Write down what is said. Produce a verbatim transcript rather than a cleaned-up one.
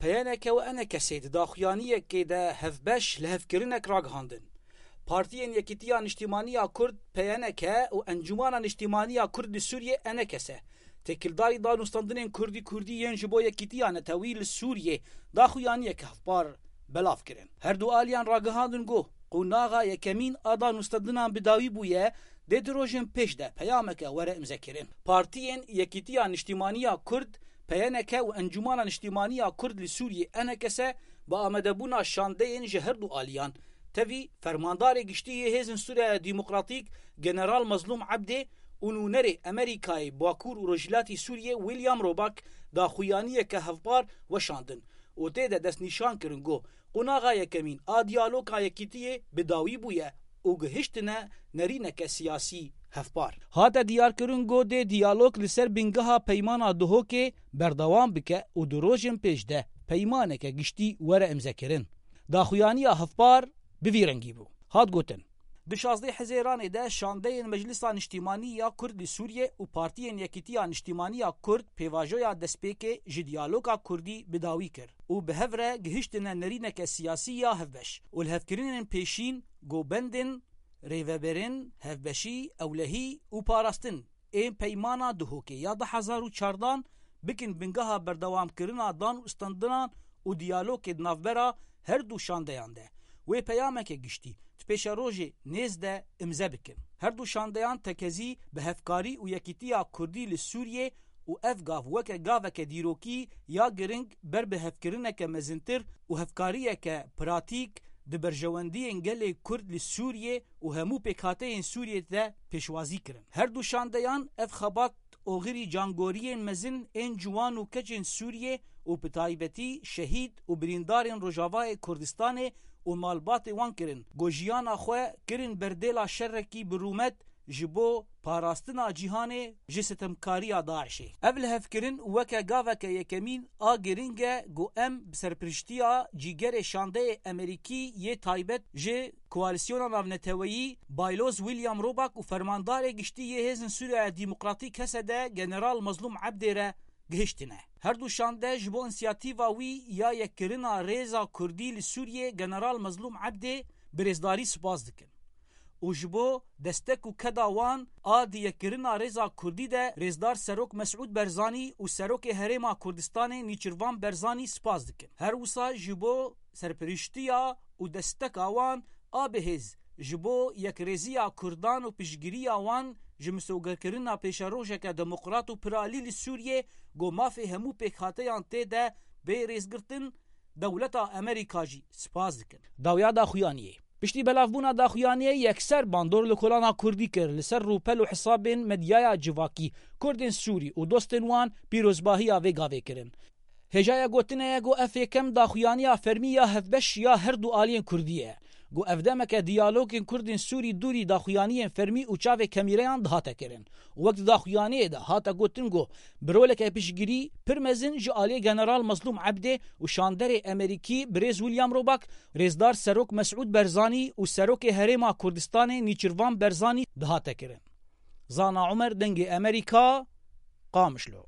P Y N K û E N K S di daxuyaniyekê de hevbeş lihevkirinek ragihandin. Partiyên Yekîtiya Niştîmaniya Kurd, P Y N K, û Encûmana Niştîmaniya Kurd li Sûriyê, E N K S, têkildarî danûstandinên kurdî kurdî yên ji bo yekîtiya netewî li Sûriyê daxuyaniyeke hevpar belav kirin. Her du aliyan ragihandin ku qonaxa yekemîn a danûstandinan bi dawî bûye, dê di rojên pêş de peyameke were imzekirin. Partiyên Yekîtiya Niştîmaniya Kurd, P Y N K, û Encûmana Niştîmaniya Kurd li Sûriyê, E N K S, bi amadebûna şandeyên ji her du aliyan, tevî fermandarê giştî yê Hêzên Sûriya Demokratîk, General Mazlûm Ebdê, û nûnerê Amerîkayê Bakur û Rojhilatî Sûriyê, William Roback, daxuyaniyeke hevpar weşandin û tê de destnîşan kirin ku qonaxa yekemîn a diyaloga yekîtiyê bi dawî bûye û gihiştine nerîneke siyasî hevpar. Hate diyarkirin ku dê diyalog li ser bingeha peymana Duhokê berdewam bike û di rojên pêş de peymaneke giştî were imzekirin. Daxuyaniya hevpar bi vî rengî bû. Hat gotin: Di şazdeh Hezêranê de şandeyên Meclisa Niştîmanî ya Kurd li Sûriyê û Partiyên Yekîtiya Niştîmanî ya Kurd pêvajoya destpêkê ji diyaloga kurdî bi dawî kir û bi hev re gihiştine nerîneke siyasî ya hevbeş û lihevkirinên pêşîn, govendên, rêveberên, hevbeşî, ewlehî û parastin ên peymana Duhokê ya du hezar û çardan bikin bingeha berdewamkirina dan û standinan û diyalogê di navbera her du şandeyan de wê peyameke giştî di pêşerojê nêz de imze bikin. Her du şandeyan tekezî bi hevkarî û yekîtiya kurdî li Sûriyê û ev gav weke gaveke dîrokî ya giring ber bi hevkirineke mezintir û hevkariyeke pratîk di berjewendiyên gelê Kurd li Sûriyê û hemû pêkhateyên Sûriyê de pêşwazî kirin. Her du şandeyan ev xebat oxirî cangoriyên mezin ên ciwan û keçên Sûriyê û bi taybetî şehîd û birîndarên Rojavayê Kurdistanê û malbatê wan kirin, ku jiyana xwe kirin berdêla şerekî bi rûmet ji bo parastina cîhanê ji sitemkariya DAIŞê. Ev lihevkirin weke gaveke yekemîn a giring e ku em bi serpiriştiya cîgerê şandeyê Amerîkî yê taybet ji Koalîsyona Navneteweyî, Bayloz William Roback û Fermandarê Giştî yê Hêzên Sûriya Demokratîk, H S D, General Mazlûm Ebdê re gihiştine. Her du şande ji bo însiyatîfa wî ya yekkirina rêza kurdî li Sûriyê General Mazlûm Ebdê bi rêzdarî spas dikin û ji bo destek û keda wan a di yekkirina rêza kurdî de Rêzdar Serok Mesûd Berzanî û Serokê Herêma Kurdistanê Nîçirvan Berzanî spas dikin. Her wisa ji bo serpiriştiya û desteka wan a bihêz ji bo yekrêziya kurdan û piştgiriya wan ji misogerkirina pêşerojeke demokrat û piralî li Sûriyê, ku mafê hemû pêkhateyan tê de bê rêzgirtin, dewleta Amerîka jî spas dikin. Dawiya daxuyaniyê. Piştî belavbûna daxuyaniyê yekser bandor li kolana kurdî kir, li ser rûpel û hesabên medyaya civakî, Kurdên Sûrî û dostên wan pîrozbahiya vê gavê kirin. Hêjaya gotinê ye ku ev yekem daxuyaniya fermî ya hevbeş ya her du aliyên kurdî ye. Ku ev demeke diyalogên Kurdên Sûrî dûrî daxuyaniyên fermî û çavê kemîreyan dihate kirin. Wek di daxuyaniyê de hate gotin ku bi roleke piştgirî pir mezin ji aliyê General Mazlûm Ebdê û şanderê Amerîkî birêz William Roback, Rêzdar Serok Mesûd Berzanî û Serokê Herêma Kurdistanê Nîçirvan Berzanî dihate kirin. Zana Umer, Dengê Amerîka, Qamişlo.